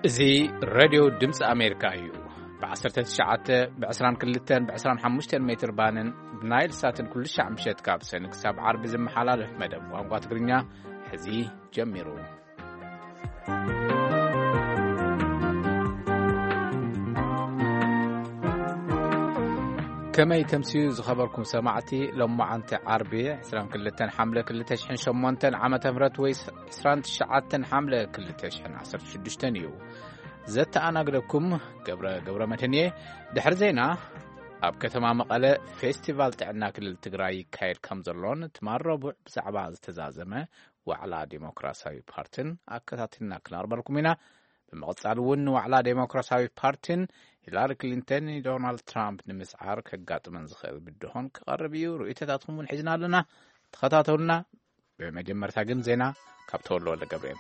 እዚ ሬድዮ ድምፂ ኣሜሪካ እዩ። ብ19፣ ብ22፣ ብ25 ሜትር ባንን ብናይል ሳትን ኩሉ ሻዕ ምሸት ካብ ሰኒ ክሳብ ዓርቢ ዝመሓላለፍ መደብ ቋንቋ ትግርኛ ሕዚ ጀሚሩ። ከመይ ተምስዩ ዝኸበርኩም ሰማዕቲ፣ ሎማዓንቲ ዓርቢ 22 ሓምለ 2008 ዓመተ ምህረት ወይ 29 ሓምለ 2016 እዩ። ዘተኣናግደኩም ገብረ፣ ገብረ መድህን እየ። ድሕሪ ዜና፣ ኣብ ከተማ መቐለ ፌስቲቫል ጥዕና ክልል ትግራይ ይካየድ ከም ዘሎን ትማል ረቡዕ ብዛዕባ ዝተዛዘመ ዋዕላ ዴሞክራሲያዊ ፓርትን ኣከታቲልና ክነቕርበልኩም ኢና። ብምቕጻል እውን ንዋዕላ ዴሞክራሲያዊ ፓርትን ሂላሪ ክሊንተን ንዶናልድ ትራምፕ ንምስዓር ከጋጥመን ዝኽእል ብድሆን ክቐርብ እዩ። ርእይቶታትኩም እውን ሒዝና ኣለና። ተኸታተሉና። ብመጀመርታ ግን ዜና ካብ ተወልደ ወልደ ገብርኤል።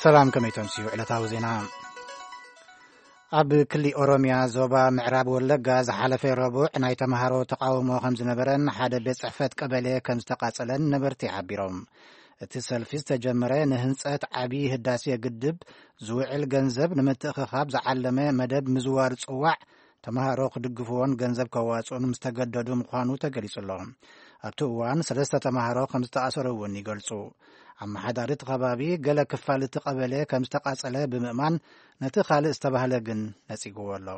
ሰላም፣ ከመይ ተምስዩ ዕለታዊ ዜና። ኣብ ክሊ ኦሮምያ ዞባ ምዕራብ ወለጋ ዝሓለፈ ረቡዕ ናይ ተምሃሮ ተቃውሞ ከም ዝነበረን ሓደ ቤት ጽሕፈት ቀበሌ ከም ዝተቃጸለን ነበርቲ ሓቢሮም። እቲ ሰልፊ ዝተጀመረ ንህንጸት ዓቢ ህዳሴ ግድብ ዝውዕል ገንዘብ ንምትእኽኻብ ዝዓለመ መደብ ምዝዋር ጽዋዕ ተምሃሮ ክድግፍዎን ገንዘብ ከዋጽኡን ምስ ተገደዱ ምዃኑ ተገሊጹ ኣሎ። ኣብቲ እዋን ሰለስተ ተምሃሮ ከም ዝተኣሰሩ እውን ይገልጹ። ኣመሓዳሪ እቲ ከባቢ ገለ ክፋል እቲ ቀበሌ ከም ዝተቃጸለ ብምእማን ነቲ ካልእ ዝተባህለ ግን ነጺግዎ ኣሎ።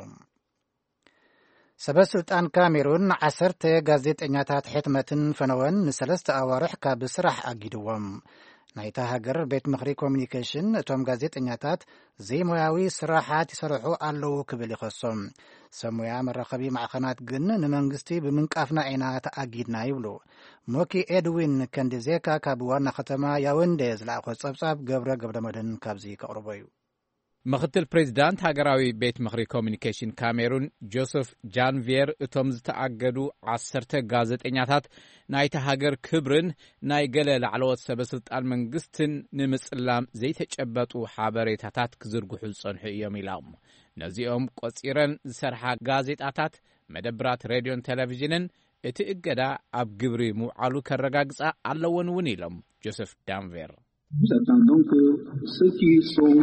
ሰበ ስልጣን ካሜሩን ዓሰርተ ጋዜጠኛታት ሕትመትን ፈነወን ንሰለስተ ኣዋርሕ ካብ ስራሕ ኣጊድዎም። ናይታ ሃገር ቤት ምኽሪ ኮሚኒኬሽን እቶም ጋዜጠኛታት ዘይሞያዊ ስራሓት ይሰርሑ ኣለዉ ክብል ይኸሶም። ሰብ ሞያ መራኸቢ ማዕኸናት ግን ንመንግስቲ ብምንቃፍና ኢና ተኣጊድና ይብሉ። ሞኪ ኤድዊን ከንዲዜካ ካብ ዋና ከተማ ያውንዴ ዝለኣኾ ጸብጻብ ገብረ ገብረ መድህን ካብዚ ከቕርቦ እዩ። ምኽትል ፕሬዚዳንት ሃገራዊ ቤት ምኽሪ ኮሚኒኬሽን ካሜሩን ጆሰፍ ጃንቪየር፣ እቶም ዝተኣገዱ ዓሰርተ ጋዜጠኛታት ናይቲ ሃገር ክብርን ናይ ገለ ላዕለዎት ሰበ ስልጣን መንግስትን ንምጽላም ዘይተጨበጡ ሓበሬታታት ክዝርግሑ ዝጸንሑ እዮም ኢሎም። ነዚኦም ቆጺረን ዝሰርሓ ጋዜጣታት፣ መደብራት ሬድዮን ቴሌቪዥንን እቲ እገዳ ኣብ ግብሪ ምውዓሉ ከረጋግጻ ኣለወን እውን ኢሎም ጆሰፍ ዳንቬር። Nous attendons que ceux qui sont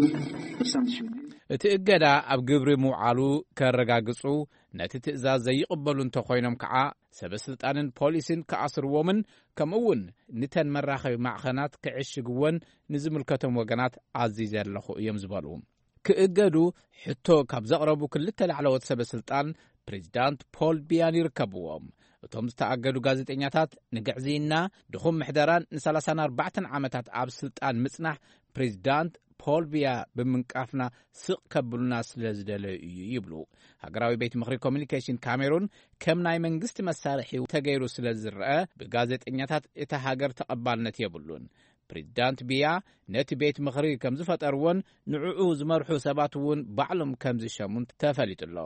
sanctionnés እቲ እገዳ ኣብ ግብሪ ምውዓሉ ከረጋግጹ፣ ነቲ ትእዛዝ ዘይቕበሉ እንተኾይኖም ከዓ ሰበ ስልጣንን ፖሊስን ክኣስርዎምን ከምኡ እውን ንተን መራኸቢ ማዕኸናት ክዕሽግወን ንዝምልከቶም ወገናት ኣዚዘ ኣለኹ እዮም ዝበሉ። ክእገዱ ሕቶ ካብ ዘቕረቡ ክልተ ላዕለዎት ሰበ ስልጣን ፕሬዚዳንት ፖል ቢያን ይርከብዎም። እቶም ዝተኣገዱ ጋዜጠኛታት ንግዕዝይና፣ ድኹም ምሕደራን ን34 ዓመታት ኣብ ስልጣን ምጽናሕ ፕሬዚዳንት ፖል ቢያ ብምንቃፍና ስቕ ከብሉና ስለ ዝደለዩ እዩ ይብሉ። ሃገራዊ ቤት ምኽሪ ኮሚኒኬሽን ካሜሩን ከም ናይ መንግስቲ መሳርሒ ተገይሩ ስለ ዝረአ፣ ብጋዜጠኛታት እታ ሃገር ተቐባልነት የብሉን። ፕሬዚዳንት ቢያ ነቲ ቤት ምኽሪ ከም ዝፈጠርዎን ንዕኡ ዝመርሑ ሰባት እውን ባዕሎም ከም ዝሸሙን ተፈሊጡ ኣሎ።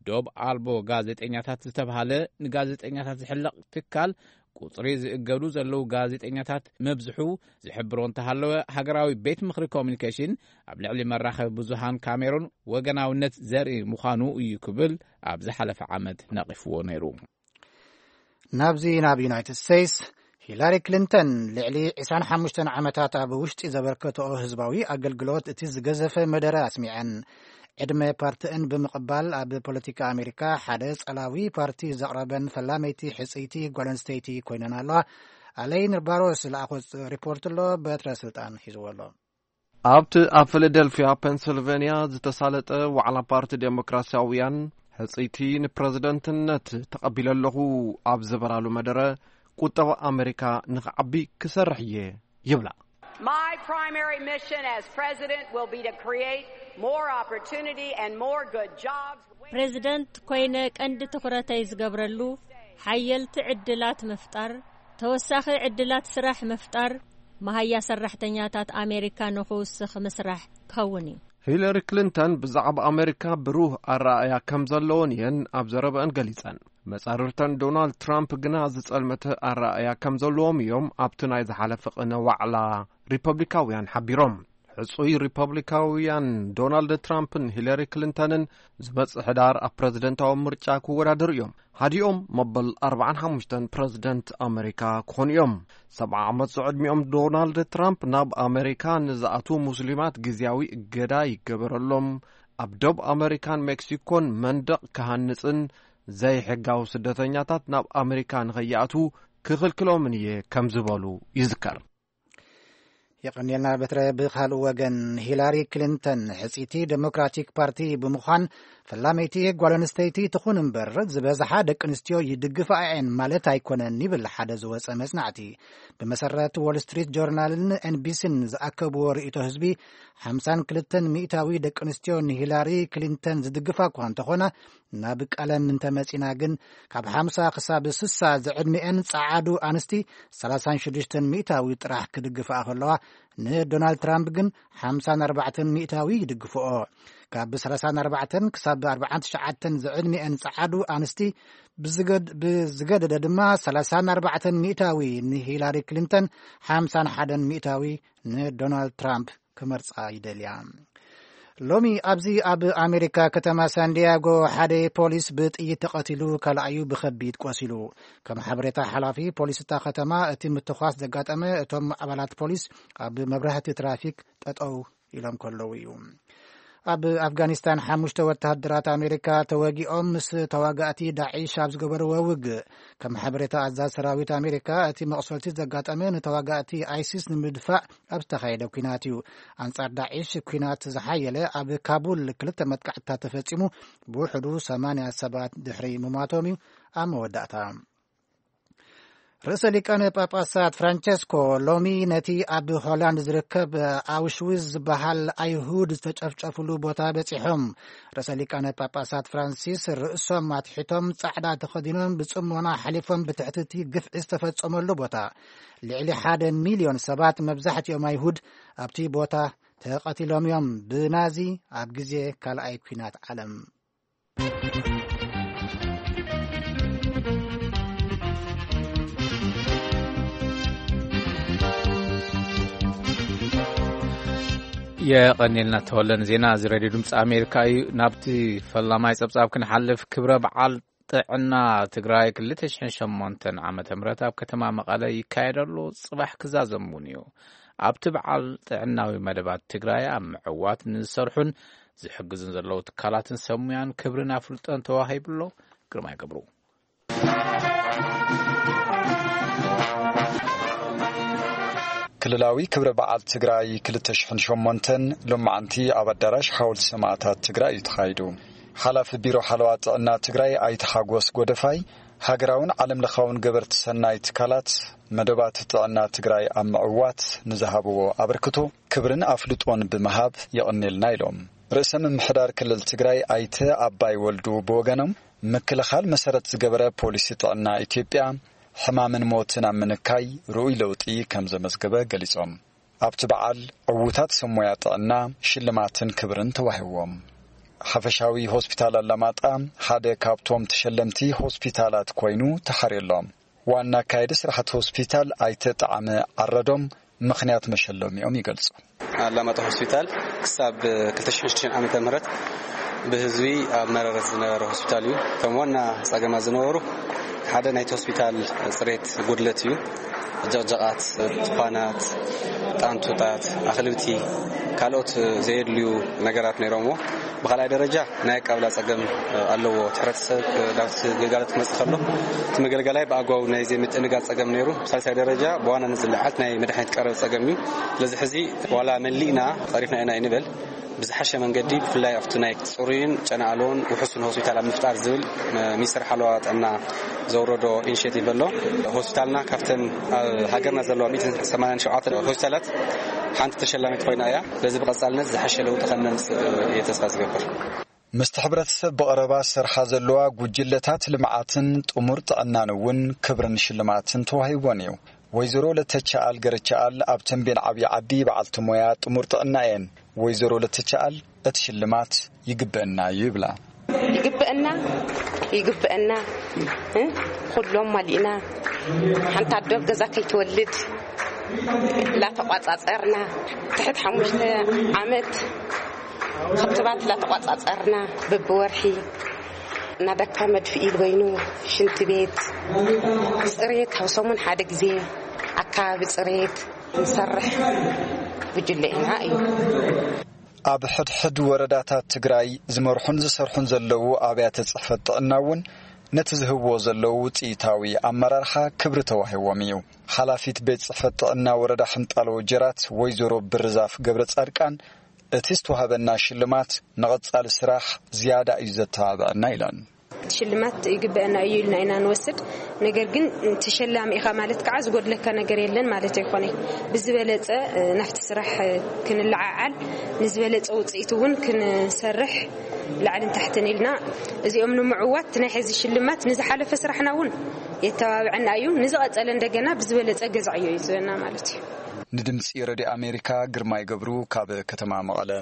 ዶብ ኣልቦ ጋዜጠኛታት ዝተባህለ ንጋዜጠኛታት ዝሕለቕ ትካል፣ ቁጽሪ ዝእገዱ ዘለዉ ጋዜጠኛታት መብዝሑ ዝሕብሮ እንተሃለወ፣ ሃገራዊ ቤት ምኽሪ ኮሚኒኬሽን ኣብ ልዕሊ መራኸቢ ብዙሃን ካሜሩን ወገናውነት ዘርኢ ምዃኑ እዩ ክብል ኣብ ዝሓለፈ ዓመት ነቒፍዎ ነይሩ። ናብዚ ናብ ዩናይትድ ስቴትስ፣ ሂላሪ ክሊንተን ልዕሊ 25 ዓመታት ኣብ ውሽጢ ዘበርከተኦ ህዝባዊ ኣገልግሎት እቲ ዝገዘፈ መደረ ኣስሚዐን። ዕድመ ፓርቲእን ብምቕባል ኣብ ፖለቲካ ኣሜሪካ ሓደ ጸላዊ ፓርቲ ዘቕረበን ፈላመይቲ ሕጽይቲ ጓል ኣንስተይቲ ኮይነን ኣለዋ። ኣለይን ባሮስ ዝለኣኾ ሪፖርት ኣሎ፣ በትረ ስልጣን ሒዝዎ ኣሎ። ኣብቲ ኣብ ፊላደልፊያ ፔንስልቬንያ ዝተሳለጠ ዋዕላ ፓርቲ ዴሞክራሲያውያን ሕጽይቲ ንፕረዚደንትነት ተቐቢለ ኣለኹ ኣብ ዝበላሉ መደረ፣ ቁጠባ ኣሜሪካ ንኽዓቢ ክሰርሕ እየ ይብላ። My primary mission as president will be to create more opportunity and more good jobs. ፕሬዚደንት ኮይነ ቀንዲ ትኹረተይ ዝገብረሉ ሓየልቲ ዕድላት ምፍጣር፣ ተወሳኺ ዕድላት ስራሕ ምፍጣር፣ መሃያ ሰራሕተኛታት ኣሜሪካ ንኽውስኽ ምስራሕ ክኸውን እዩ። ሂለሪ ክሊንተን ብዛዕባ ኣሜሪካ ብሩህ ኣረኣእያ ከም ዘለወን እየን ኣብ ዘረበአን ገሊጸን። መጻርርተን ዶናልድ ትራምፕ ግና ዝጸልመተ ኣረኣእያ ከም ዘለዎም እዮም ኣብቲ ናይ ዝሓለፈ ቅነ ዋዕላ ሪፐብሊካውያን ሓቢሮም። ዕጹይ ሪፐብሊካውያን ዶናልድ ትራምፕን ሂለሪ ክሊንተንን ዝመጽእ ሕዳር ኣብ ፕረዚደንታዊ ምርጫ ክወዳደሩ እዮም። ሓዲኦም መበል ኣርባዓን ሓሙሽተን ፕረዚደንት ኣመሪካ ክኾኑ እዮም። ሰብዓ ዓመት ዝዕድሚኦም ዶናልድ ትራምፕ ናብ ኣመሪካ ንዝኣትዉ ሙስሊማት ግዝያዊ እገዳ ይገበረሎም፣ ኣብ ደቡብ ኣመሪካን ሜክሲኮን መንደቕ ክሃንጽን ዘይሕጋዊ ስደተኛታት ናብ ኣመሪካ ንኸይኣትዉ ክኽልክሎምን እየ ከም ዝበሉ ይዝከር። የቐንየልና በትረ። ብኻልእ ወገን፣ ሂላሪ ክሊንተን ሕጽይቲ ዴሞክራቲክ ፓርቲ ብምዃን፣ ፈላመይቲ ጓል ኣንስተይቲ ትኹን እምበር ዝበዝሓ ደቂ ኣንስትዮ ይድግፋ እየን ማለት ኣይኮነን ይብል ሓደ ዝወጸ መጽናዕቲ። ብመሰረት ዎል ስትሪት ጆርናልን ኤንቢሲን ዝኣከብዎ ርእይቶ ህዝቢ፣ ሓምሳን ክልተን ሚእታዊ ደቂ ኣንስትዮ ንሂላሪ ክሊንተን ዝድግፋ እኳ እንተኾና፣ ናብ ቀለም እንተመጺና ግን፣ ካብ ሓምሳ ክሳብ ስሳ ዝዕድሚኤን ጸዓዱ ኣንስቲ ሰላሳን ሽዱሽተን ሚእታዊ ጥራሕ ክድግፋ ከለዋ፣ ንዶናልድ ትራምፕ ግን ሓምሳን ኣርባዕተን ሚእታዊ ይድግፍኦ። ካብ ሰላሳን ኣርባዕተን ክሳብ ኣርባዓን ትሽዓተን ዝዕድሚኤን ጸዓዱ ኣንስቲ ብዝገድ-፣ ብዝገደደ ድማ ሰላሳን ኣርባዕተን ሚእታዊ ንሂላሪ ክሊንተን፣ ሓምሳን ሓደን ሚእታዊ ንዶናልድ ትራምፕ ክመርጻ ይደልያ። ሎሚ ኣብዚ ኣብ ኣሜሪካ ከተማ ሳንዲያጎ ሓደ ፖሊስ ብጥይት ተቐቲሉ፣ ካልኣዩ ብኸቢድ ቆሲሉ። ከም ሓበሬታ ሓላፊ ፖሊስ እታ ከተማ፣ እቲ ምትኳስ ዘጋጠመ እቶም ኣባላት ፖሊስ ኣብ መብራህቲ ትራፊክ ጠጠው ኢሎም ከለዉ እዩ። ኣብ ኣፍጋኒስታን ሓሙሽተ ወተሃደራት ኣሜሪካ ተወጊኦም ምስ ተዋጋእቲ ዳዒሽ ኣብ ዝገበርዎ ውግእ፣ ከም ሓበሬታ ኣዛዝ ሰራዊት ኣሜሪካ፣ እቲ መቕሰልቲ ዘጋጠመ ንተዋጋእቲ ኣይሲስ ንምድፋእ ኣብ ዝተኻየደ ኲናት እዩ። ኣንጻር ዳዒሽ ኲናት ዝሓየለ ኣብ ካቡል ክልተ መጥቃዕትታት ተፈጺሙ፣ ብውሕዱ ሰማንያ ሰባት ድሕሪ ምሟቶም እዩ ኣብ መወዳእታ። ርእሰ ሊቃነ ጳጳሳት ፍራንቸስኮ ሎሚ ነቲ ኣብ ሆላንድ ዝርከብ ኣውሽዊዝ ዝበሃል ኣይሁድ ዝተጨፍጨፍሉ ቦታ በጺሖም። ርእሰ ሊቃነ ጳጳሳት ፍራንሲስ ርእሶም ኣትሒቶም ጻዕዳ ተኸዲኖም ብጽሞና ሓሊፎም ብትሕቲ እቲ ግፍዒ ዝተፈጸመሉ ቦታ። ልዕሊ ሓደ ሚልዮን ሰባት፣ መብዛሕትኦም ኣይሁድ፣ ኣብቲ ቦታ ተቐቲሎም እዮም ብናዚ ኣብ ግዜ ካልኣይ ኲናት ዓለም። የቐኔልና ተወለን ዜና። እዚ ሬድዮ ድምፂ ኣሜሪካ እዩ። ናብቲ ፈላማይ ፀብፃብ ክንሓልፍ፣ ክብረ በዓል ጥዕና ትግራይ ክልተ ሽሕን ሸሞንተን ዓመተ ምህረት ኣብ ከተማ መቐለ ይካየድ ኣሎ። ፅባሕ ክዛዘም እውን እዩ። ኣብቲ በዓል ጥዕናዊ መደባት ትግራይ ኣብ ምዕዋት ንዝሰርሑን ዝሕግዙን ዘለዉ ትካላትን ሰብ ሙያን ክብርን ኣፍልጦን ተዋሂቡ ኣሎ። ግርማይ ገብሩ። ክልላዊ ክብረ በዓል ትግራይ ክልተ ሽሕን ሸሞንተን ሎማዓንቲ ኣብ ኣዳራሽ ሓወልቲ ሰማእታት ትግራይ እዩ ተኻይዱ። ሓላፊ ቢሮ ሓለዋ ጥዕና ትግራይ ኣይተ ሓጎስ ጎደፋይ፣ ሃገራውን ዓለም ለኻውን ገበርቲ ሰናይ ትካላት መደባት ጥዕና ትግራይ ኣብ ምዕዋት ንዝሃብዎ ኣበርክቶ ክብርን ኣፍልጦን ብምሃብ የቐኔልና ኢሎም። ርእሰ ምምሕዳር ክልል ትግራይ ኣይተ ኣባይ ወልዱ ብወገኖም፣ ምክልኻል መሰረት ዝገበረ ፖሊሲ ጥዕና ኢትዮጵያ ሕማምን ሞትን ኣብ ምንካይ ርኡይ ለውጢ ከም ዘመዝገበ ገሊጾም። ኣብቲ በዓል ዕዉታት ሰብ ሞያ ጥዕና ሽልማትን ክብርን ተዋሂዎም። ሓፈሻዊ ሆስፒታል ኣላማጣ ሓደ ካብቶም ተሸለምቲ ሆስፒታላት ኮይኑ ተሓርየሎም። ዋና ኣካየዲ ስራሕቲ ሆስፒታል ኣይተ ጣዕመ ዓረዶም ምኽንያት መሸለሚኦም ይገልጹ። ኣላማጣ ሆስፒታል ክሳብ ክልተ ሽሕን ሽዱሽተን ዓመተ ምህረት ብህዝቢ ኣብ መረረት ዝነበረ ሆስፒታል እዩ። ከም ዋና ጸገማት ዝነበሩ ሓደ ናይቲ ሆስፒታል ጽሬት ጉድለት እዩ። ጀቕጀቓት፣ ቱፋናት፣ ጣንቱታት፣ ኣኽልብቲ፣ ካልኦት ዘየድልዩ ነገራት ነይሮምዎ። ብኻልኣይ ደረጃ ናይ ኣቀባብላ ጸገም ኣለዎ። እቲ ሕብረተሰብ ናብቲ ግልጋሎት ክመጽእ ከሎ እቲ መገልገላይ ብኣግባቡ ናይ ዘይምትእንጋድ ጸገም ነይሩ። ብሳልሳይ ደረጃ ብዋናነት ዝለዓል ናይ መድሓኒት ቀረብ ጸገም እዩ። ስለዚ ሕዚ ዋላ መሊእና ጸሪፍና ኢና ኣይንበል። ብዝሓሸ መንገዲ ብፍላይ ኣብቲ ናይ ጽሩይን ጨና ኣልቦን ውሑስን ሆስፒታል ኣብ ምፍጣር ዝብል ሚኒስትር ሓለዋ ጥዕና ዘውረዶ ኢኒሼቲቭ ኣሎ። ሆስፒታልና ካብተን ኣብ ሃገርና ዘለዋ ሚእትን ሰማንያን ሸውዓተን ሆስፒታላት ሓንቲ ተሸላሚት ኮይና እያ። በዚ ብቐጻልነት ዝሓሸ ለውጢ ከም ነምጽእ እየ ተስፋ ዝገብር። ምስቲ ሕብረተሰብ ብቐረባ ዝሰርሓ ዘለዋ ጉጅለታት ልምዓትን ጥሙር ጥዕናን እውን ክብርን ሽልማትን ተዋሂቦን እዩ። ወይዘሮ ለተቻኣል ገረቻኣል ኣብ ተንቤን ዓብዪ ዓዲ በዓልቲ ሞያ ጥሙር ጥዕና እየን። ወይዘሮ ለተቻኣል እቲ ሽልማት ይግበአና እዩ ይብላ። ይግበአና፣ ይግበአና፣ እ? ኩሎም ማሊእና፣ ሓንቲ ኣዶ ኣብ ገዛ ከይትወልድ ላተቋጻጸርና፣ ትሕት ሓሙሽተ ዓመት ክትባት ላተቋጻጸርና፣ በብወርሒ እናደካ መድፍኢ በይኑ፣ ሽንቲ ቤት፣ ጽሬት፣ ኣብ ሰሙን ሓደ ግዜ ኣካባቢ ጽሬት ንሰርሕ ጉጅለ ኢና እዩ። ኣብ ሕድሕድ ወረዳታት ትግራይ ዝመርሑን ዝሰርሑን ዘለዉ ኣብያተ ጽሕፈት ጥዕና እውን ነቲ ዝህብዎ ዘለዉ ውጽኢታዊ ኣመራርሓ ክብሪ ተዋሂዎም እዩ። ሓላፊት ቤት ጽሕፈት ጥዕና ወረዳ ሕንጣሎ ጀራት ወይዘሮ ብርዛፍ ገብረ ጻድቃን፣ እቲ ዝተዋህበና ሽልማት ንቐጻሊ ስራሕ ዝያዳ እዩ ዘተባብዐና ኢለን። ሽልማት ይግበአና እዩ ኢልና ኢና ንወስድ። ነገር ግን ተሸላሚ ኢኻ ማለት ከዓ ዝጎድለካ ነገር የለን ማለት ኣይኮነ። ብዝበለጸ፣ እ፣ ናብቲ ስራሕ፣ እ፣ ክንለዓዓል፣ ንዝበለጸ ውጽኢት እውን ክንሰርሕ ላዕልን ታሕትን ኢልና፣ እዚኦም ንምዕዋት ናይ ሕዚ ሽልማት ንዝሓለፈ ስራሕና እውን የተባብዐና እዩ። ንዝቐጸለ እንደገና ብዝበለጸ ገዛዕዮ እዩ ዝብለና ማለት እዩ። ንድምፂ ረድዮ ኣሜሪካ ግርማይ ገብሩ ካብ ከተማ መቐለ።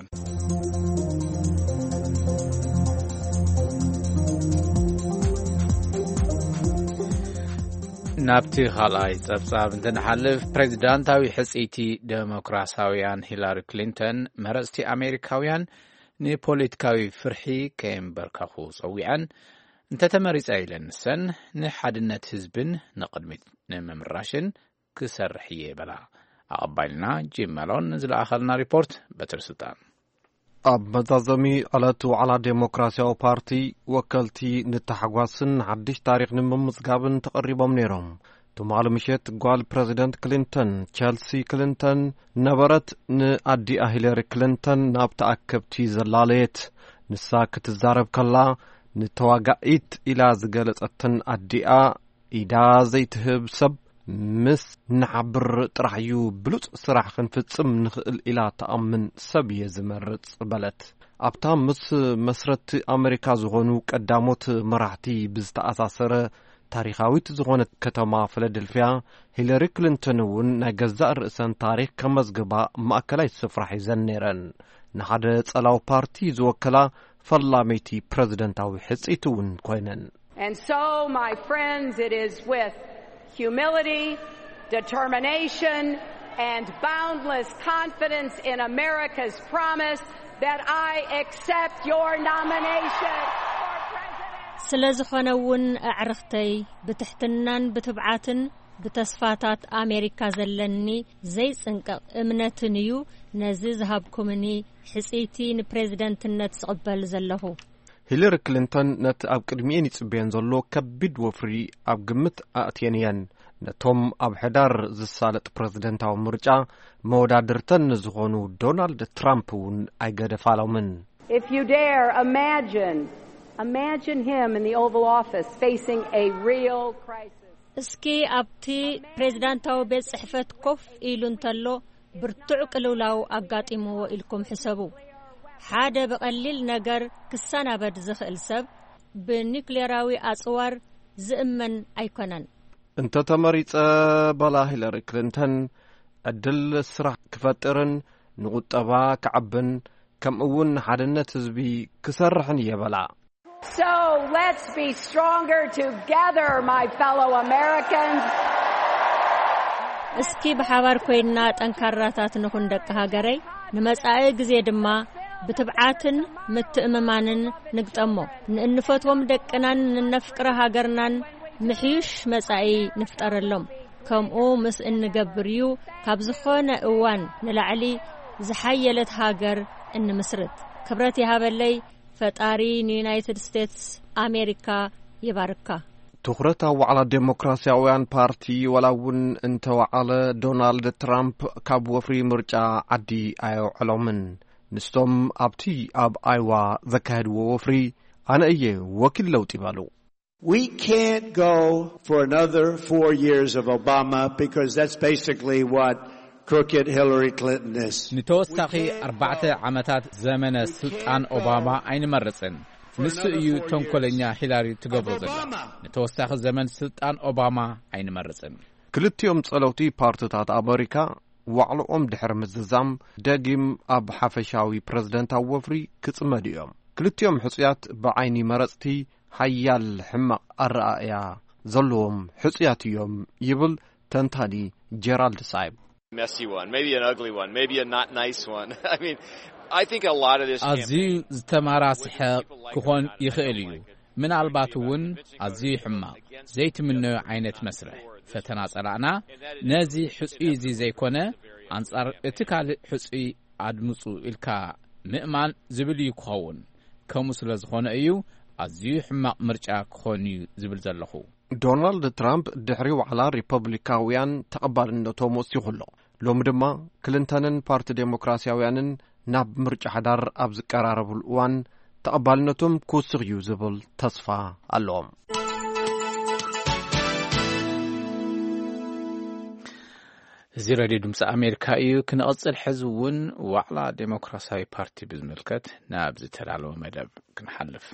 ናብቲ ካልኣይ ጸብጻብ እንትንሓልፍ፣ ፕሬዚዳንታዊ ሕጽይቲ ደሞክራሲያውያን ሂላሪ ክሊንተን፣ መረጽቲ ኣሜሪካውያን ንፖለቲካዊ ፍርሒ ከየንበርከኹ ጸዊዐን፣ እንተተመሪጸ ኢለን ንሰን ንሓድነት ህዝብን ንቕድሚት ንምምራሽን ክሰርሕ እየ በላ። ኣቐባይልና ጂም መሎን ዝለኣኸልና ሪፖርት በትሪ ስልጣን። ኣብ መዛዘሚ ዕለት ዋዕላ ዴሞክራሲያዊ ፓርቲ ወከልቲ ንተሓጓስን ሓድሽ ታሪኽ ንምምዝጋብን ተቐሪቦም ነይሮም። ትማሊ ምሸት ጓል ፕረዚደንት ክሊንተን፣ ቸልሲ ክሊንተን ነበረት፣ ንኣዲኣ ሂለሪ ክሊንተን ናብ ተኣከብቲ ዘላለየት። ንሳ ክትዛረብ ከላ፣ ንተዋጋኢት ኢላ ዝገለጸትን ኣዲኣ፣ ኢዳ ዘይትህብ ሰብ፣ ምስ ንሓብር ጥራሕ እዩ ብሉጽ ስራሕ ክንፍጽም ንኽእል ኢላ ትኣምን ሰብ እየ ዝመርጽ በለት። ኣብታ ምስ መስረቲ ኣመሪካ ዝኾኑ ቀዳሞት መራሕቲ ብዝተኣሳሰረ ታሪኻዊት ዝኾነት ከተማ ፊላደልፊያ፣ ሂለሪ ክሊንተን እውን ናይ ገዛእ ርእሰን ታሪኽ ከመዝግባ ማእከላይ ስፍራ ሒዘን ነይረን። ንሓደ ጸላዊ ፓርቲ ዝወከላ ፈላመይቲ ፕረዚደንታዊ ሕጽይቲ እውን ኮይነን። And so, my friends, it is with humility, determination, and boundless confidence in America's promise that I accept your nomination for president. ስለ ዝኾነ እውን ኣዕርኽተይ፣ ብትሕትናን ብትብዓትን ብተስፋታት ኣሜሪካ ዘለኒ ዘይጽንቀቕ እምነትን እዩ ነዚ ዝሃብኩምኒ ሕጽይቲ ንፕሬዝደንትነት ዝቕበል ዘለኹ። ሂለሪ ክሊንተን ነቲ ኣብ ቅድሚኤን ይጽበየን ዘሎ ከቢድ ወፍሪ ኣብ ግምት ኣእትየን እየን። ነቶም ኣብ ሕዳር ዝሳለጥ ፕረዚደንታዊ ምርጫ መወዳድርተን ንዝኾኑ ዶናልድ ትራምፕ እውን ኣይገደፋሎምን። If you dare, imagine, imagine him in the Oval Office facing a real crisis. እስኪ ኣብቲ ፕሬዝዳንታዊ ቤት ጽሕፈት ኮፍ ኢሉ እንተሎ ብርቱዕ ቅልውላው ኣጋጢምዎ ኢልኩም ሕሰቡ። ሓደ ብቐሊል ነገር ክሰናበድ ዝኽእል ሰብ ብኒክሌራዊ ኣጽዋር ዝእመን ኣይኮነን። እንተ ተመሪጸ፣ በላ ሂለሪ ክሊንተን፣ ዕድል ስራሕ ክፈጥርን ንቁጠባ ክዓብን ከምኡ እውን ንሓድነት ህዝቢ ክሰርሕን እየ በላ። So let's be stronger together, my fellow Americans. እስኪ ብሓባር ኮይንና ጠንካራታት ንኹን ደቂ ሃገረይ። ንመጻኢ ግዜ ድማ ብትብዓትን ምትእምማንን ንግጠሞ። ንእንፈትዎም ደቅናን ንነፍቅረ ሃገርናን ምሕዩሽ መጻኢ ንፍጠረሎም። ከምኡ ምስ እንገብር እዩ ካብ ዝኾነ እዋን ንላዕሊ ዝሓየለት ሃገር እንምስርት። ክብረት ይሃበለይ። ፈጣሪ ንዩናይትድ ስቴትስ ኣሜሪካ ይባርካ። ትኹረት ኣብ ዋዕላ ዴሞክራሲያውያን ፓርቲ፣ ዋላ እውን እንተወዓለ፣ ዶናልድ ትራምፕ ካብ ወፍሪ ምርጫ ዓዲ ኣየውዕሎምን። ንሶም ኣብቲ ኣብ ኣይዋ ዘካየድዎ ወፍሪ፣ ኣነ እየ ወኪል ለውጢ በሉ። We can't go for another four years of Obama because that's basically what crooked Hillary Clinton is. ንተወሳኺ ኣርባዕተ ዓመታት ዘመነ ስልጣን ኦባማ ኣይንመርጽን። ንሱ እዩ ተንኮለኛ ሂላሪ ትገብሮ ዘላ። ንተወሳኺ ዘመን ስልጣን ኦባማ ኣይንመርጽን። ክልቲኦም ጸለውቲ ፓርትታት ኣመሪካ ዋዕልኦም ድሕሪ ምዝዛም ደጊም ኣብ ሓፈሻዊ ፕረዚደንታዊ ወፍሪ ክጽመዱ እዮም። ክልቲኦም ሕጹያት ብዓይኒ መረጽቲ ሓያል ሕማቕ ኣረኣእያ ዘለዎም ሕጹያት እዮም ይብል ተንታኒ ጀራልድ ሳይብ። Messy one, maybe an ugly one, maybe a not nice one. I mean, I think a lot of this ኣዝዩ campaign ዝተማራስሐ people like ክኾን that, they ይኽእል don't እዩ። Like it. ምናልባት እውን ኣዝዩ ሕማቕ ዘይትምነዮ ዓይነት መስርሕ ፈተና ጸላእና፣ ነዚ ሕጹይ እዚ ዘይኮነ፣ ኣንጻር እቲ ካልእ ሕጹይ ኣድምጹ ኢልካ ምእማን ዝብል እዩ ክኸውን። ከምኡ ስለ ዝኾነ እዩ ኣዝዩ ሕማቕ ምርጫ ክኾን እዩ ዝብል ዘለኹ። ዶናልድ ትራምፕ ድሕሪ ዋዕላ ሪፐብሊካውያን ተቐባልነቶም ወሲኹ ኣሎ። ሎሚ ድማ ክሊንተንን ፓርቲ ዴሞክራሲያውያንን ናብ ምርጫ ሓዳር ኣብ ዝቀራረብሉ እዋን ተቐባልነቶም ክውስኽ እዩ ዝብል ተስፋ ኣለዎም። እዚ ሬድዮ ድምፂ ኣሜሪካ እዩ። ክንቕፅል፣ ሕዚ እውን ዋዕላ ዴሞክራሲያዊ ፓርቲ ብዝምልከት ናብ ዝተዳለወ መደብ ክንሓልፍ።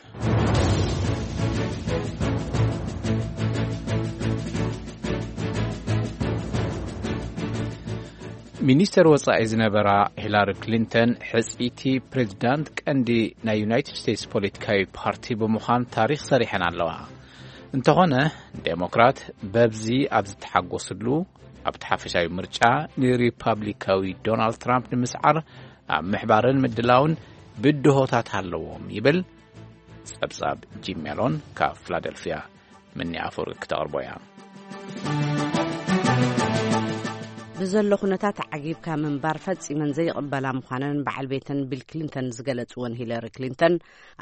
ሚኒስተር ወጻኢ ዝነበራ ሂላሪ ክሊንተን ሕጽይቲ ፕሬዚዳንት ቀንዲ ናይ ዩናይትድ ስቴትስ ፖለቲካዊ ፓርቲ ብምዃን ታሪኽ ሰሪሐን ኣለዋ። እንተኾነ፣ ዴሞክራት በብዚ ኣብ ዝተሓጎስሉ፣ ኣብቲ ሓፈሻዊ ምርጫ ንሪፓብሊካዊ ዶናልድ ትራምፕ ንምስዓር ኣብ ምሕባርን ምድላውን ብድሆታት ኣለዎም ይብል። ጸብጻብ ጂም ሜሎን ካብ ፊላደልፊያ። ምኒ ኣፈወርቂ ክተቕርቦ እያ። ብዘሎ ኩነታት ዓጊብካ ምንባር ፈጺመን ዘይቕበላ ምዃነን በዓል ቤተን ቢል ክሊንተን ዝገለጽወን ሂለሪ ክሊንተን፣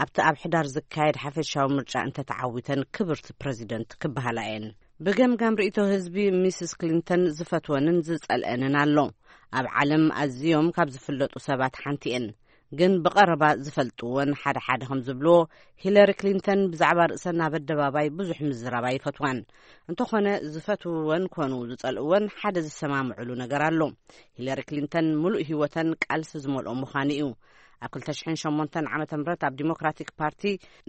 ኣብቲ ኣብ ሕዳር ዝካየድ ሓፈሻዊ ምርጫ እንተተዓዊተን ክብርቲ ፕረዚደንት ክበሃላ እየን። ብገምጋም ርእይቶ ህዝቢ፣ ሚስስ ክሊንተን ዝፈትወንን ዝጸልአንን ኣሎ። ኣብ ዓለም ኣዝዮም ካብ ዝፍለጡ ሰባት ሓንቲ እየን። ግን ብቐረባ ዝፈልጥወን ሓደ ሓደ ከም ዝብልዎ፣ ሂለሪ ክሊንተን ብዛዕባ ርእሰን ኣብ ኣደባባይ ብዙሕ ምዝራብ ኣይፈትዋን። እንተኾነ፣ ዝፈትውወን ኮኑ ዝጸልእወን ሓደ ዝሰማምዕሉ ነገር ኣሎ። ሂለሪ ክሊንተን ምሉእ ህይወተን ቃልሲ ዝመልኦ ምዃኑ እዩ። ኣብ ክልተ ሽሕን ሸሞንተን ዓመተ ምህረት ኣብ ዲሞክራቲክ ፓርቲ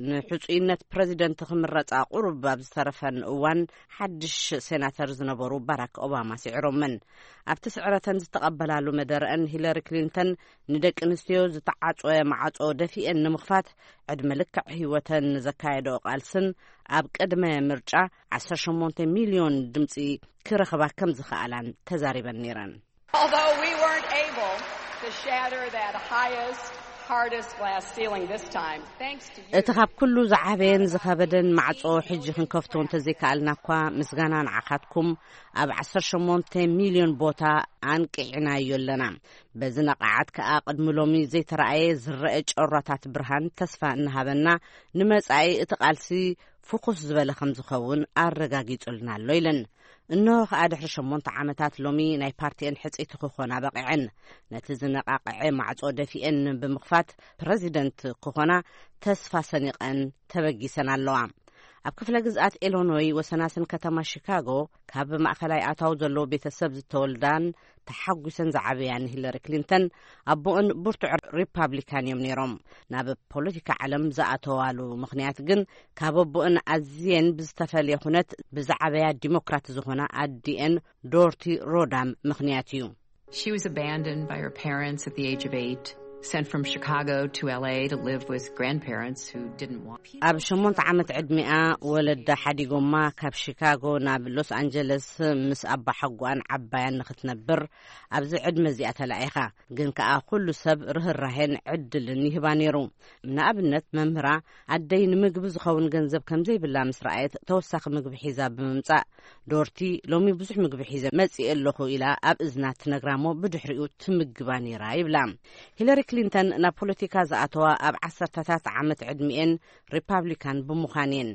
ንሕጹይነት ፕረዚደንት ክምረጻ ቁሩብ ኣብ ዝተረፈን እዋን፣ ሓድሽ ሴናተር ዝነበሩ ባራክ ኦባማ ስዒሮመን። ኣብቲ ስዕረተን ዝተቐበላሉ መደረአን፣ ሂለሪ ክሊንተን ንደቂ ኣንስትዮ ዝተዓጽወ ማዕጾ ደፊኤን ንምኽፋት ዕድመ ልክዕ ህይወተን ንዘካየደኦ ቃልስን ኣብ ቅድመ ምርጫ ዓሰርተ ሸሞንተ ሚልዮን ድምጺ ክረኽባ ከም ዝኸኣላን ተዛሪበን ነይረን። Although we weren't able to shatter that highest, hardest glass ceiling this time, thanks to you. እቲ ካብ ኩሉ ዝዓበየን ዝኸበደን ማዕጾ ሕጂ ክንከፍቶ እንተዘይከኣልና እኳ፣ ምስጋና ንዓኻትኩም፣ ኣብ ዓሰርተ ሸሞንተ ሚልዮን ቦታ ኣንቂዕናዮ ኣለና። በዚ ነቓዓት ከኣ ቅድሚ ሎሚ ዘይተራእየ ዝረአ ጨራታት ብርሃን ተስፋ እናሃበና፣ ንመጻኢ እቲ ቃልሲ ፍኹስ ዝበለ ከም ዝኸውን ኣረጋጊጹልና ኣሎ ኢለን። እንሆ ከኣ ድሕሪ ሸሞንተ ዓመታት ሎሚ ናይ ፓርቲኤን ሕጽይቲ ክኾና በቒዐን። ነቲ ዝነቓቕዐ ማዕጾ ደፊኤን ብምኽፋት ፕረዚደንት ክኾና ተስፋ ሰኒቐን ተበጊሰን ኣለዋ። ኣብ ክፍለ ግዝኣት ኢሎኖይ ወሰናስን ከተማ ሺካጎ፣ ካብ ማእከላይ ኣታዊ ዘለዎ ቤተሰብ ዝተወልዳን ተሓጒሰን ዝዓበያን ሂለሪ ክሊንተን፣ ኣቦኦን ብርቱዕ ሪፓብሊካን እዮም ነይሮም። ናብ ፖለቲካ ዓለም ዝኣተዋሉ ምኽንያት ግን፣ ካብ ኣቦኦን ኣዝየን ብዝተፈልየ ኩነት ብዝዓበያ ዲሞክራት ዝኾና ኣዲኤን ዶርቲ ሮዳም ምኽንያት እዩ። She was abandoned by her parents at the age of eight, sent from Chicago to L A to live with grandparents who didn't want ኣብ ሸሞንተ ዓመት ዕድሚኣ ወለዳ ሓዲጎማ ካብ ሺካጎ ናብ ሎስ ኣንጀለስ ምስ ኣባሓጎኣን ዓባያን ንኽትነብር ኣብዚ ዕድመ እዚኣ ተላኢኻ። ግን ከኣ ኩሉ ሰብ ርህራሄን ዕድልን ይህባ ነይሩ። ንኣብነት መምህራ ኣደይ ንምግቢ ዝኸውን ገንዘብ ከም ዘይብላ ምስ ረኣየት ተወሳኺ ምግቢ ሒዛ ብምምጻእ፣ ዶርቲ ሎሚ ብዙሕ ምግቢ ሒዘ መጺኤ ኣለኹ ኢላ ኣብ እዝና ትነግራሞ ብድሕሪኡ ትምግባ ነይራ ይብላ። ሂለሪ ክሊንተን ናብ ፖለቲካ ዝኣተዋ ኣብ ዓሰርተታት ዓመት ዕድሚኤን ሪፓብሊካን ብምዃን እየን።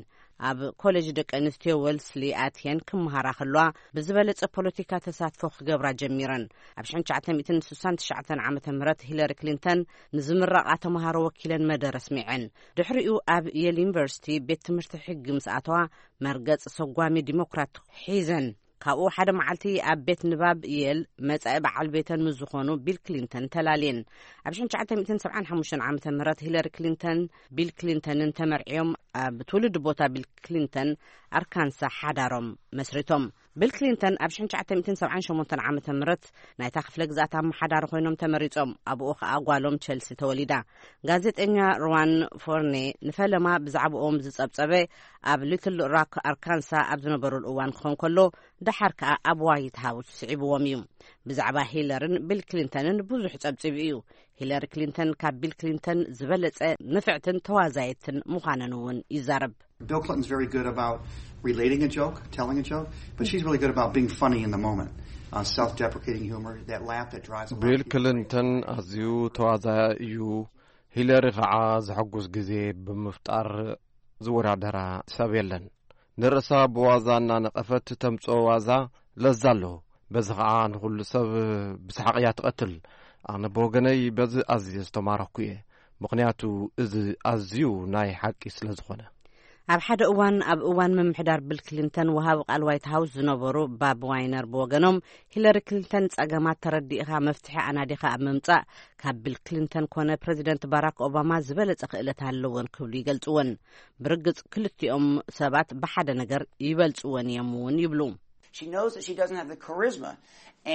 ኣብ ኮሌጅ ደቂ ኣንስትዮ ወልስሊ ኣትየን ክመሃራ ከለዋ ብዝበለጸ ፖለቲካ ተሳትፎ ክገብራ ጀሚረን። ኣብ ሽሕን ትሽዓተ ሚእትን ስሳን ትሽዓተን ዓመተ ምህረት ሂለሪ ክሊንተን ንዝምረቓ ተመሃሮ ወኪለን መደረ ኣስሚዐን። ድሕሪኡ ኣብ የል ዩኒቨርሲቲ ቤት ትምህርቲ ሕጊ ምስ ኣተዋ መርገጽ ሰጓሚ ዲሞክራት ሒዘን። ካብኡ ሓደ መዓልቲ ኣብ ቤት ንባብ የል መጻኢ በዓል ቤተን ምስ ዝኾኑ ቢል ክሊንተን ተላልየን። ኣብ ሽሕን ትሽዓተ ሚእትን ሰብዓን ሓሙሽተን ዓመተ ምህረት ሂለሪ ክሊንተን ቢል ክሊንተንን ተመርዕዮም ኣብ ትውልዲ ቦታ ቢል ክሊንተን ኣርካንሳ ሓዳሮም መስሪቶም። ቢል ክሊንተን ኣብ ሽሕን ትሽዓተ ሚእትን ሰብዓን ሸሞንተን ዓመተ ምህረት ናይታ ክፍለ ግዝኣት ኣመሓዳሪ ኮይኖም ተመሪጾም። ኣብኡ ከኣ ጓሎም ቸልሲ ተወሊዳ። ጋዜጠኛ ሩዋን ፎርኔ ንፈለማ ብዛዕባኦም ዝጸብጸበ ኣብ ሊትል ሮክ ኣርካንሳ ኣብ ዝነበሩሉ እዋን ክኸውን ከሎ፣ ደሓር ከኣ ኣብ ዋይት ሃውስ ስዒብዎም እዩ። ብዛዕባ ሂለርን ቢል ክሊንተንን ብዙሕ ጸብጺቡ እዩ። ሂለሪ ክሊንተን ካብ ቢል ክሊንተን ዝበለጸ ንፍዕትን ተዋዛየትን ምዃነን እውን ይዛረብ። Bill Clinton's very good about relating a joke, telling a joke, but she's really good about being funny in the moment. Uh, self-deprecating humor, that laugh that drives a lot of ቢል people. ክሊንተን ኣዝዩ ተዋዛያ እዩ። ሂለሪ ከዓ ዘሐጉስ ግዜ ብምፍጣር ዝወዳደራ ሰብ የለን። ንርእሳ ብዋዛ እናነቐፈት ተምጽኦ ዋዛ ለዛ ኣለዎ። በዚ ከዓ ንኹሉ ሰብ ብሰሓቕ እያ ትቐትል። ኣነ ብወገነይ በዚ ኣዝየ ዝተማረኽኩ እየ። ምኽንያቱ እዚ ኣዝዩ ናይ ሓቂ ስለ ዝኾነ። ኣብ ሓደ እዋን፣ ኣብ እዋን ምምሕዳር ቢል ክሊንተን፣ ወሃቢ ቃል ዋይት ሃውስ ዝነበሩ ባብ ዋይነር ብወገኖም፣ ሂለሪ ክሊንተን ጸገማት ተረዲእኻ መፍትሒ ኣናዲኻ ኣብ ምምጻእ ካብ ቢል ክሊንተን ኮነ ፕረዚደንት ባራክ ኦባማ ዝበለጸ ክእለት ኣለወን ክብሉ ይገልጽወን። ብርግጽ ክልቲኦም ሰባት ብሓደ ነገር ይበልጽወን እዮም እውን ይብሉ። She knows that she doesn't have the charisma,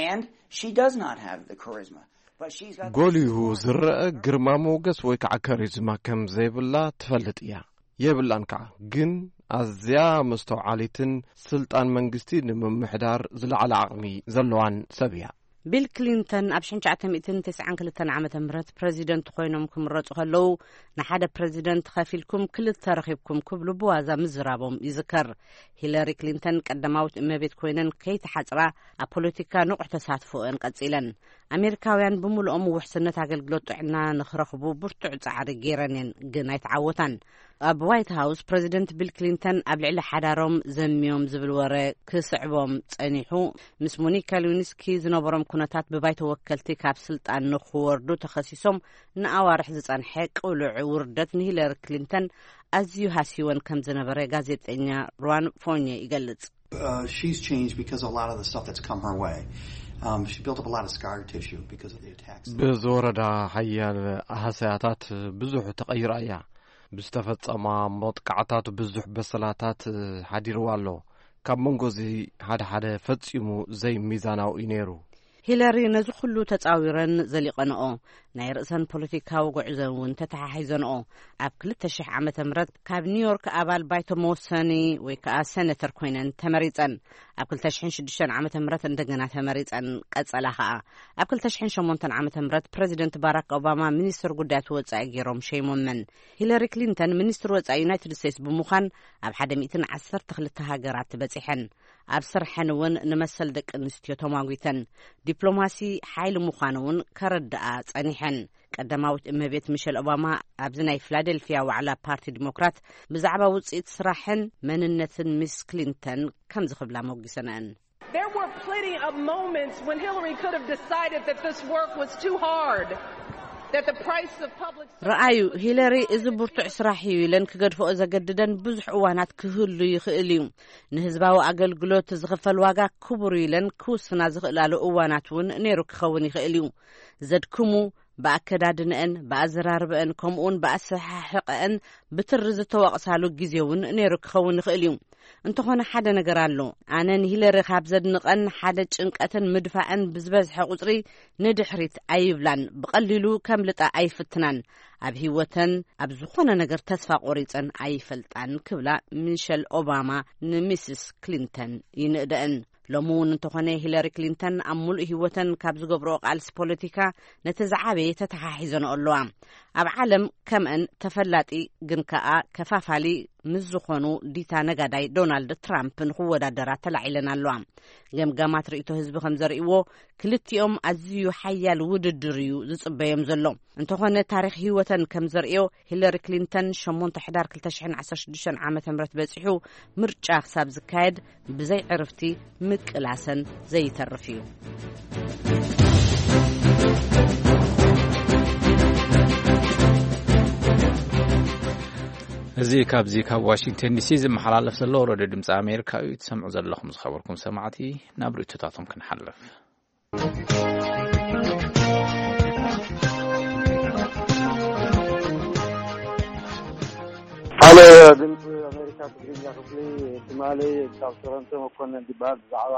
and she does not have the charisma. But she's got the ጎሊሁ smarts. ዝረአ ግርማ ሞገስ ወይ ከዓ ከሪዝማ ከም ዘይብላ ትፈልጥ እያ። የብላን ከዓ። ግን ኣዝያ መስተውዓሊትን ስልጣን መንግስቲ ንምምሕዳር ዝለዓለ ዓቕሚ ዘለዋን ሰብ እያ። ቢል ክሊንተን ኣብ ሽሕን ትሽዓተ ሚእትን ተስዓን ክልተን ዓመተ ምህረት ፕረዚደንት ኮይኖም ክምረጹ ከለዉ፣ ንሓደ ፕረዚደንት ከፊልኩም ክልተ ረኺብኩም ክብሉ ብዋዛ ምዝራቦም ይዝከር። ሂለሪ ክሊንተን ቀዳማዊት እመቤት ኮይነን ከይተሓጽራ ኣብ ፖለቲካ ንቑሕ ተሳትፎአን ቀጺለን። ኣሜሪካውያን ብምሉኦም ውሕስነት ኣገልግሎት ጥዕና ንኽረኽቡ ብርቱዕ ጻዕሪ ገይረን እየን፣ ግን ኣይተዓወታን። ኣብ ዋይት ሃውስ ፕረዚደንት ቢል ክሊንተን ኣብ ልዕሊ ሓዳሮም ዘምዮም ዝብል ወረ ክስዕቦም ጸኒሑ። ምስ ሞኒካ ሊዊንስኪ ዝነበሮም ኩነታት ብባይቶ ወከልቲ ካብ ስልጣን ንኽወርዱ ተኸሲሶም ንኣዋርሕ ዝጸንሐ ቅሉዕ ውርደት ንሂለሪ ክሊንተን ኣዝዩ ሃስይወን ከም ዝነበረ ጋዜጠኛ ሩዋን ፎኘ ይገልጽ። Uh, she's changed because of a lot of the stuff that's come her way. Um, she built up a lot of scar tissue because of the attacks. ብዝወረዳ ሓያል ሃሰያታት ብዙሕ ተቐይራ እያ። ብዝተፈጸማ መጥቃዕታት ብዙሕ በሰላታት ሓዲርዋ ኣሎ። ካብ መንጎ እዚ ሓደ ሓደ ፈጺሙ ዘይሚዛናዊ እዩ ነይሩ። ሂለሪ ነዚ ኩሉ ተጻዊረን ዘሊቐንኦ፣ ናይ ርእሰን ፖለቲካዊ ጉዕዞ እውን ተተሓሒዘንኦ። ኣብ ክልተ ሽሕ ዓመተ ምህረት ካብ ኒውዮርክ ኣባል ባይቶ መወሰኒ ወይ ከዓ ሴኔተር ኮይነን ተመሪጸን። ኣብ ክልተ ሽሕን ሽዱሽተን ዓመተ ምህረት እንደገና ተመሪጸን ቀጸላ ኸኣ። ኣብ ክልተ ሽሕን ሸሞንተን ዓመተ ምህረት ፕረዚደንት ባራክ ኦባማ ሚኒስትር ጉዳያት ወጻኢ ገይሮም ሸይሞመን። ሂለሪ ክሊንተን ሚኒስትር ወጻኢ ዩናይትድ ስቴትስ ብምዃን ኣብ ሓደ ሚእትን ዓሰርተ ክልተ ሃገራት በጺሐን። ኣብ ስርሐን እውን ንመሰል ደቂ ኣንስትዮ ተማጒተን። ዲፕሎማሲ ሓይሊ ምዃኑ እውን ከረድኣ ጸኒሐን። ቀዳማዊት እመቤት ሚሸል ኦባማ ኣብዚ ናይ ፊላደልፊያ ዋዕላ ፓርቲ ዲሞክራት ብዛዕባ ውጽኢት ስራሕን መንነትን ሚስ ክሊንተን ከምዚ ክብላ ሞጊሰንአን። There were plenty of moments when Hillary could have decided that this work was too hard, that the price of public ረኣዩ፣ ሂለሪ እዚ ብርቱዕ ስራሕ እዩ ኢለን ክገድፍኦ ዘገድደን ብዙሕ እዋናት ክህሉ ይኽእል እዩ። ንህዝባዊ ኣገልግሎት ዝኽፈል ዋጋ ክቡር እዩ ኢለን ክውስና ዝኽእላሉ እዋናት እውን ነይሩ ክኸውን ይኽእል እዩ። ዘድክሙ፣ ብኣከዳድንአን፣ ብኣዘራርበአን፣ ከምኡውን ብኣሰሓሕቐአን ብትሪ ዝተወቕሳሉ ግዜ እውን ነይሩ ክኸውን ይኽእል እዩ። እንተኾነ ሓደ ነገር ኣሎ። ኣነ ንሂለሪ ካብ ዘድንቐን ሓደ ጭንቀትን ምድፋዕን ብዝበዝሐ ቁጽሪ ንድሕሪት ኣይብላን። ብቐሊሉ ከምልጣ ኣይፍትናን። ኣብ ህይወተን ኣብ ዝኾነ ነገር ተስፋ ቆሪጸን ኣይፈልጣን ክብላ ሚሸል ኦባማ ንሚስስ ክሊንተን ይንእደአን። ሎሚ እውን እንተኾነ ሂለሪ ክሊንተን ኣብ ሙሉእ ህይወተን ካብ ዝገብርኦ ቃልሲ ፖለቲካ ነቲ ዝዓበየ ተተሓሒዘንኦ ኣለዋ። ኣብ ዓለም ከምአን ተፈላጢ ግን ከኣ ከፋፋሊ ምስ ዝኾኑ ዲታ ነጋዳይ ዶናልድ ትራምፕ ንኽወዳደራ ተላዒለን ኣለዋ። ገምጋማት ርእይቶ ህዝቢ ከም ዘርእይዎ ክልቲኦም ኣዝዩ ሓያል ውድድር እዩ ዝጽበዮም ዘሎ። እንተኾነ ታሪኽ ህይወተን ከም ዘርእዮ ሂለሪ ክሊንተን ሸሞንተ ሕዳር ክልተ ሽሕን ዓሰርተ ሽዱሽተን ዓመተ ምህረት በጺሑ ምርጫ ክሳብ ዝካየድ ብዘይ ዕርፍቲ ምቅላሰን ዘይተርፍ እዩ። እዚ ካብዚ ካብ ዋሽንግተን ዲሲ ዝመሓላለፍ ዘሎ ሬድዮ ድምፂ ኣሜሪካ እዩ። ትሰምዑ ዘለኹም ዝኸበርኩም ሰማዕቲ፣ ናብ ርእይቶታቶም ክንሓልፍ። ሓደ ድምፂ ኣሜሪካ ትግርኛ ክፍሊ ትማሊ ካብ ቶሮንቶ መኮነን ዝበሃል ብዛዕባ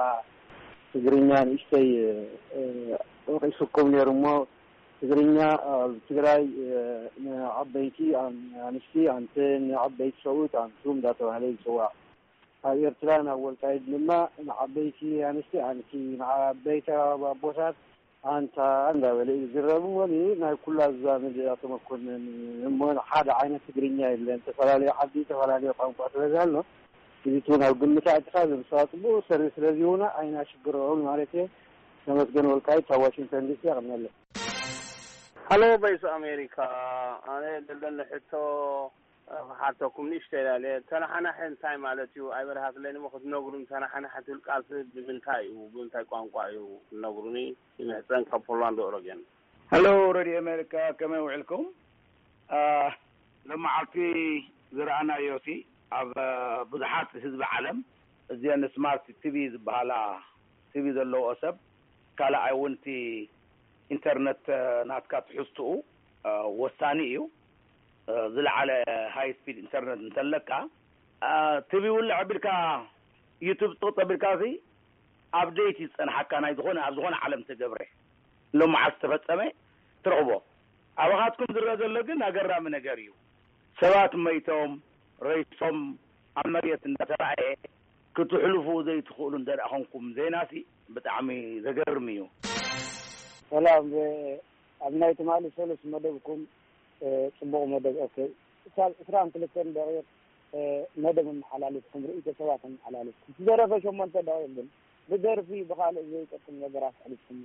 ትግርኛ ንእሽተይ ወቂሱኩም ነይሩ እሞ ትግርኛ ኣብ ትግራይ ንዓበይቲ ኣንስቲ ኣንተ ንዓበይቲ ሰብኡት ኣንቱም እንዳተባህለ ይፅዋዕ። ኣብ ኤርትራ ናብ ወልቃይት ድማ ንዓበይቲ ኣንስቲ ኣንቲ፣ ንዓበይቲ ኣቦታት ኣንታ እንዳበለ እዩ ዝረብ። ወሊ ናይ ኩላ ዛሚ ተመኮንን እሞ ሓደ ዓይነት ትግርኛ የለን። ዝተፈላለዩ ዓዲ፣ ዝተፈላለዩ ቋንቋ ስለዚ ኣሎ። እዚ እውን ኣብ ግምት ኣእትኻ፣ እዞም ሰባት ጽቡቕ ሰሪ ስለዚሁና ኣይና ሽግሮም ማለት እየ። ተመስገን ወልቃይት ካብ ዋሽንግተን ዲሲ። ኣቕነለ። ሃሎ፣ ቮይስ ኣሜሪካ። ኣነ ዘለኒ ሕቶ ክሓተኩም ንእሽተይ ላለ። ተናሓናሒ እንታይ ማለት እዩ? ኣይበርሃትለይን እሞ ክትነግሩኒ። ተናሓናሒ ትብል ቃልሲ ብምንታይ እዩ? ብምንታይ ቋንቋ እዩ? ትነግሩኒ። ይምሕፀን ካብ ፖላንድ ኦረገን። ሄሎ፣ ሬድዮ ኣሜሪካ፣ ከመይ ውዕልኩም? ሎመዓልቲ ዝረኣናዮ ሲ ኣብ ብዙሓት ህዝቢ ዓለም እዚአን ስማርት ቲቪ ዝበሃላ ቲቪ ዘለዎ ሰብ ካልኣይ እውን እቲ ኢንተርነት ናትካ ትሕዝትኡ ወሳኒ እዩ። ዝለዓለ ሃይ ስፒድ ኢንተርነት እንተለካ ቲቪ ውልዕ ኣቢልካ ዩቱብ ጥቕጥ ኣቢልካ ሲ ኣፕዴት እዩ ዝፀንሓካ። ናይ ዝኾነ ኣብ ዝኾነ ዓለም ተገብረ ሎመዓልቲ ዝተፈፀመ ትረኽቦ። ኣባኻትኩም ዝረአ ዘሎ ግን ኣገራሚ ነገር እዩ። ሰባት መይቶም፣ ሬሶም ኣብ መሬት እንዳተራእየ ክትሕልፉ ዘይትኽእሉ እንተ ደኣ ኾንኩም ዜናሲ ብጣዕሚ ዘገርም እዩ። ሰላም፣ ኣብ ናይ ትማሊ ሰሉስ መደብኩም ጽቡቕ መደብ። ኦኬ፣ ክሳብ ዕስራን ክልተን ደቂቕ መደብ ኣመሓላሊፍኩም፣ ርእይቶ ሰባት ኣመሓላሊፍኩም፣ ዝደረፈ ሸሞንተ ደቂቕ ግን ብደርፊ ብኻልእ ዘይጠቅም ነገራት ኣሕሊፍኩም።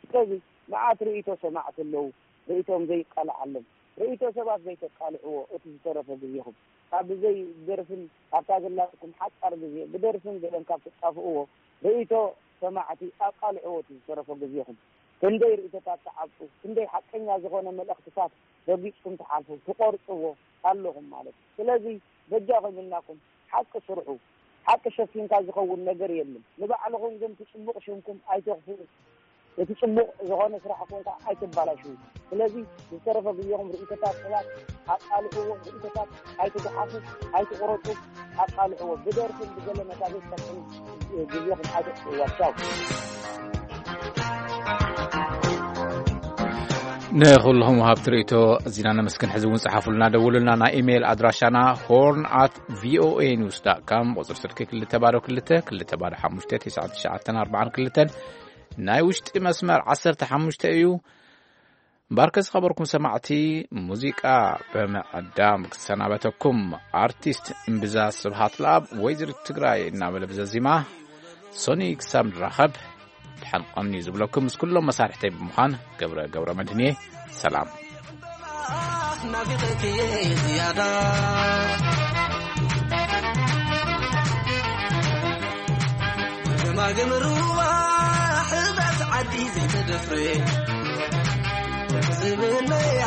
ስለዚ መዓት ርእይቶ ሰማዕቲ ኣለዉ፣ ርእይቶም ዘይቃላዓሎም፣ ርእይቶ ሰባት ዘይተቃልዕዎ እቲ ዝተረፈ ግዜኹም ካብ ብዘይ ደርፍን ኣብታ ዘላትኩም ሓጻር ግዜ ብደርፍን ገለን ካብ ትጣፍእዎ ርእይቶ ሰማዕቲ ኣቃልዕዎ እቲ ዝተረፈ ግዜኹም። ክንደይ ርእይቶታት ትዓብጡ፣ ክንደይ ሓቀኛ ዝኾነ መልእኽትታት ረጊጽኩም ትሓልፉ፣ ትቖርጽዎ ኣለኹም ማለት እዩ። ስለዚ በጃኹም ኢልናኩም ሓቂ ስርሑ። ሓቂ ሸፊንካ ዝኸውን ነገር የለን። ንባዕልኹም ግን እቲ ጽቡቕ ሽምኩም ኣይተኽፍኡ። እቲ ጽቡቕ ዝኾነ ስራሕኩም ከዓ ኣይተባላሽዉ። ስለዚ ዝተረፈ ግዜኹም ርእይቶታት ሰባት ኣቃልዕዎ፣ ርእይቶታት ኣይትጉሓፉ፣ ኣይትቑረጹ፣ ኣቃልዕዎ። ብደርፍን ብገለ ነታ ዘይትጠቅም ግዜኹም ኣይተጥፍእዋ። ቻው። ንኹልኹም ወሃብቲ ርእይቶ ኣዚና ነመስግን። ሕዚ እውን ጸሓፉልና፣ ደውሉልና። ናይ ኢሜይል ኣድራሻና ሆርን ኣት ቪኦኤ ኒውስ ዳት ካም፣ ቁጽሪ ስልኪ ክልተ ባዶ ክልተ ክልተ ባዶ ሓሙሽተ ትሽዓተ ትሽዓተ ኣርባዓን ክልተን፣ ናይ ውሽጢ መስመር ዓሰርተ ሓሙሽተ እዩ። እምበኣርከ ዝኸበርኩም ሰማዕቲ፣ ሙዚቃ ብምዕዳም ክሰናበተኩም፣ ኣርቲስት እምብዛ ስብሃት ለኣብ ወይዘሪት ትግራይ እናበለ ብዘዚማ፣ ሶኒ ክሳብ ንራኸብ ደሓን ቀንዩ ዝብለኩም ምስ ኩሎም መሳርሕተይ ብምዃን ገብረ ገብረ መድህን እየ። ሰላም። ናፊቐኪ እየ ዝያዳ ገማግም ሩባ ሕዛዝ ዓዲ ዘይተደፍረ ዝምነያ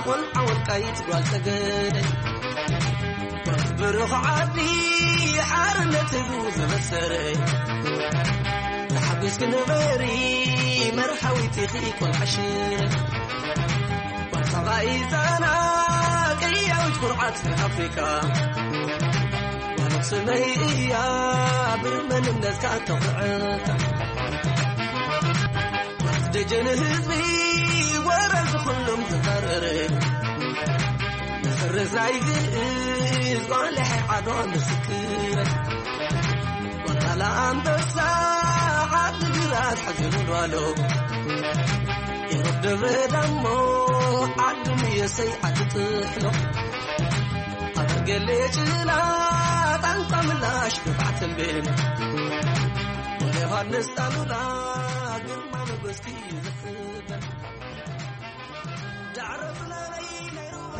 ቆልዓ ወልቃይት ጓል ጠገደ ብሩኽ ዓዲ ሓርነት ህዝቡ ዘበሰረ ተሓጒስኪ ንበሪ መርሃዊት ኢኺ ቆልዓ ሽረ ባርሳባ ኢዛና ቅያዊት ኩርዓት ኣፍሪካ ጓል ኣኽሱመይ እያ ብመንነትካ ተኹዕታ ደጀን ህዝቢ ወረ ዝኹሎም ዝፈረረ መሰረት ናይ ግእዝ ጓልሐ ዓድዋ ምስክር ወታላ ኣንበሳ ዓዲ ግራት ሓዚኑ ጓሎ ኢሮብ ደብረ ዳሞ ዓዲ ምየሰይ ዓዲ ጥሕሎ ኣበርገሌ ጭላ ጣንቋ ምላሽ ግብዓት ተንቤን ወደ ዮሃንስ ጣሉላ ግርማ ሞገስኪ እዩ ዝሕበን ዳዕሮ ዝለበይ ናይ ሩባ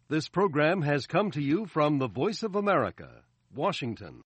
This program has come to you from the Voice of America, Washington.